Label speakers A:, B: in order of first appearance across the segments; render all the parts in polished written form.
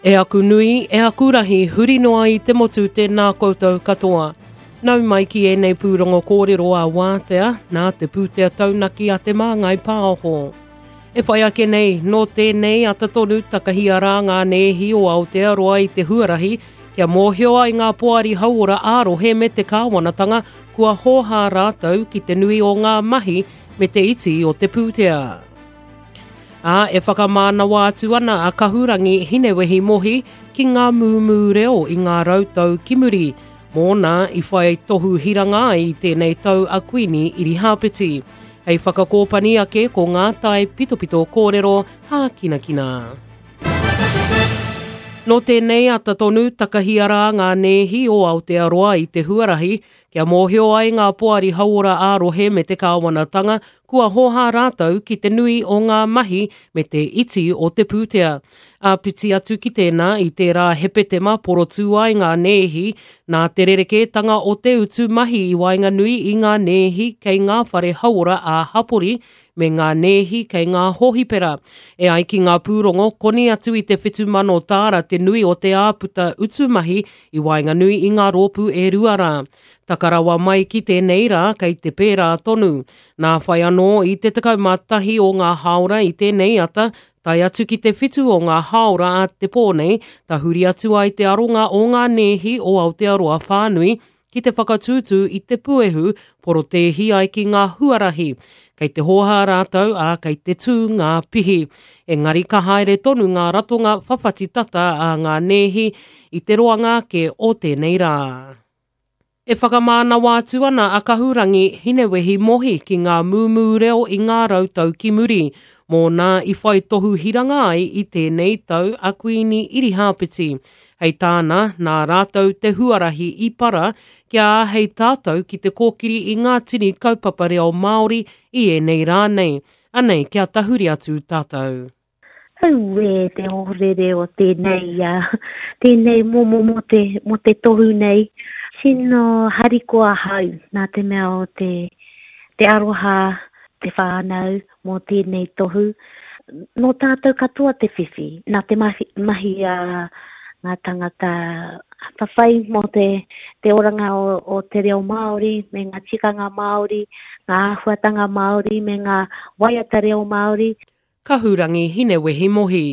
A: E aku nui, e aku rahi, huri noa i te motu tēnā koutou katoa. Nau mai ki ēnei pūrongo kōrero a Wātea, nā te pūtea taunaki a Te Māngai Pāho. E whai ake nei, nō tēnei ata tonu takahia rā ngā nēhi o Aotearoa i te huarahi kia mōhio ai ngā poari hauora ā-rohe me te kāwanatanga kua hōhā rātou ki te nui o ngā mahi me te iti o te pūtea. Ā, e whakamānawa atu ana a Kahurangi Hinewehi Mohi ki ngā mūmū reo i ngā rautau ki muri, mōna i whai tohu hiranga ai i tēnei tau a Kuini Irihāpeti. Hei whakakōpani ake ko ngā tae pitopito kōrero hākinakina. Nō tēnei ata tonu takahia rā ngā nēhi o Aotearoa i te huarahi kia mōhio ai ngā poari hauora ā-rohe me te kāwanatanga kua hōhā rātou ki te nui o ngā mahi me te iti o te pūtea. Āpiti atu ki tēnā, i tērā Hepetema porotū ai ngā nēhi nā te rerekētanga o te utu mahi i waenganui i ngā nēhi kei ngā whare hauora ā-hapori me ngā nēhi kei ngā hōhipera. E ai ki ngā pūrongo, koni atu i te 7,000 tāra te nui o te āputa utu mahi i waenganui i ngā rōpū e rua rā. Taka rawa mai ki tēnei rā, kei te pērā tonu. Nā whai anō, i te 11 o ngā hāora i tēnei ata, tae atu ki te whitu o ngā hāora a te pō nei, tahuri atu ai te aronga o ngā nēhi o Aotearoa whānui ki te whakatūtū i te puehu porotēhi ai ki ngā huarahi. Kei te hōhā rātou, ā, kei te tū ngā pihi. Engari ka haere tonu ngā ratonga whawhati tata a ngā nēhi i te roanga ake o tēnei rā. E whakamānawa atu ana a Kahurangi Hinewehi Mohi ki ngā mūmū reo i ngā rautau ki muri, mōna i whai tohu hiranga ai i tēnei tau a Kuini Irihāpeti. Hei tāna, nā rātou te huarahi i para kia āhei tātou ki te kōkiri i ngā tini kaupapa reo Māori i ēnei rā nei. Anei kia tahuri atu tātou.
B: Auē te ohorere o tēnei, tēnei momo mō te, mō te tohu nei. Tino harikoa ahau nā te mea o te, te aroha, te whānau, mō tēnei tohu. Nō tātou katoa te whiwhi, nā te mahi, mahi a ngā tangata whawhai mō te, te oranga o, o te reo Māori me ngā tikanga Māori, ngā āhuatanga Māori me ngā waiata reo Māori.
A: Kahurangi Hinewehi Mohi.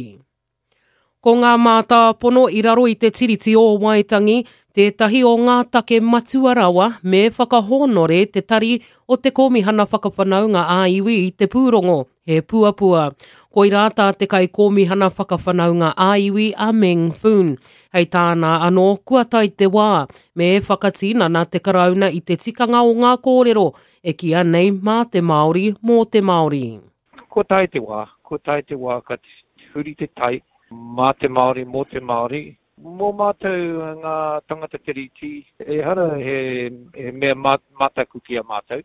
A: Ko ngā mātāpono i raro i te Tiriti o Waitangi tētahi o ngā take matua rawa me whakahōnore te Tari o te Kōmihana Whakawhanaunga ā-Iwi i te pūrongo, He Puapua. Koirā tā te Kaikōmihana Whakawhanaunga ā-Iwi a Meng Foon. Hei tāna anō, kua tae te wā, me whakatinana te Karauna i te tikanga o ngā kōrero e kīa nei mā te Māori, mō te Māori.
C: Kua tae te wā, kua tae te wā ka huri te tai mā te Māori, mō te Māori. Mō mātou ngā tangata Tiriti, ehara he mea mataku ki a mātou,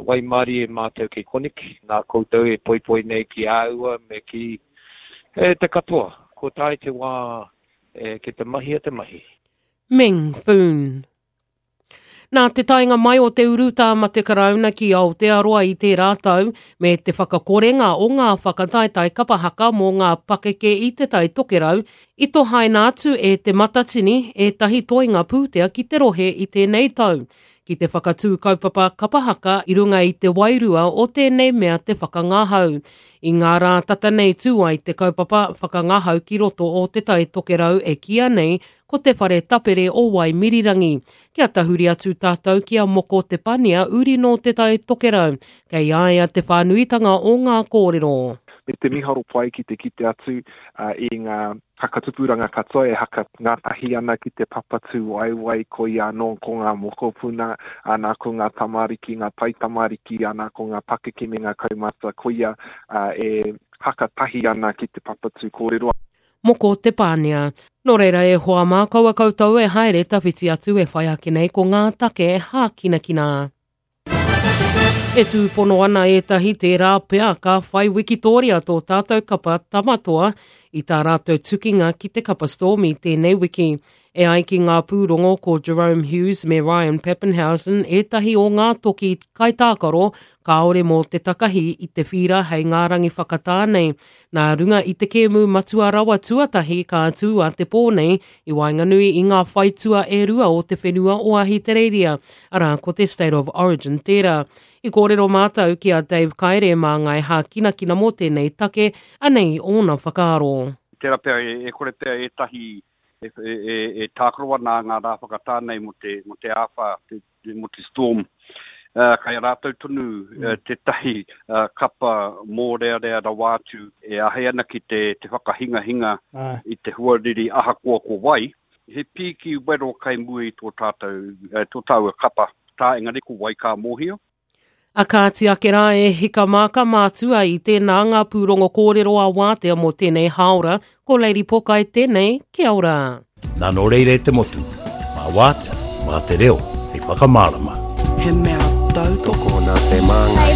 C: waimarie mātou kei koneki, nā koutou e poipoi nei ki āua me ki te katoa. Kua tae te wā ki te mahia te mahi.
A: Meng Foon. Nā te taenga mai o te urutā mate Karauna ki Aotearoa i tērā tau, me te whakakorenga o ngā whakataetae kapa haka mō ngā pakeke i Te Tai Tokerau, i tohaina atu e Te Matatini ētahi toenga pūtea ki te rohe i tēnei tau, ki te whakatū kaupapa kapa haka i runga i te wairua o tēnei mea te whakangahau. I ngā rā tata nei tū ai te kaupapa whakangahau ki roto o Te Tai Tokerau e kīia nei Ko te whare tapere o Waimirirangi. Kia tahuri atu tātou ki a Moko Te Pania uri nō Te Tai Tokerau, kei a ia te whānuitanga o ngā kōrero.
D: Me te miharo pai ki te kite atu i ngā whakatupuranga katoa e haka ngātahi ana ki te papa tūwaewae, koia anō ko ngā mokopuna, ana ko ngā tamariki, ngā taitamariki, ana ko ngā pakeke me ngā kaumātua, koia e haka tahi ana ki te papa tū kōrero.
A: Moko Te Pānia. Nō reira e hoa mā, kaua koutou e haere tawhiti atu e whai ake nei ko ngā take hākinakina. E tūpono ana ētahi tērā pea ka whai wikitōria tō tātou kapa Tamatoa i tā rātou tukinga ki te kapa Storm i tēnei wiki. E ai ki ngā pūrongo ko Jahrome Hughes me Ryan Papenhuyzen ētahi o ngā toki kaitākaro kāore mō te takahi i te whīra hei ngā rangi whakatā nei. Nā runga i te kēmu matua rawa tuatahi ka tū a te pō nei i waenganui i ngā whaitua e rua o te whenua o Ahitereiria, arā ko te State of Origin tērā. I kōrero mātou ki a Dave Kaere māngai hākinakina mō tēnei take, anei ōna whakaaro.
E: Tērā pea e kore pea ētahi e tākaro ana ngā rā whakatā nei mō te, mō te āwhā, mō te storm. Kai a rātou tonu tētahi kapa mōrearea rawa atu e āhei ana ki te, te whakahingahinga i te huariri ahakoa ko wai. He pīki wero kai mua i tō tātou, tō tāua kapa tā engari ko wai ka mōhio.
A: A kāti ake rā e hika mā ka mātua i tēnā ngā pūrongo kōrero a Wātea mō tēnei hāora, ko Lady Pokai tēnei, kia ora.
F: Nā nō reira e te motu, mā Wātea, mā te reo, hei whakamārama.
G: He mea tautoko.
H: Tokona te māngai.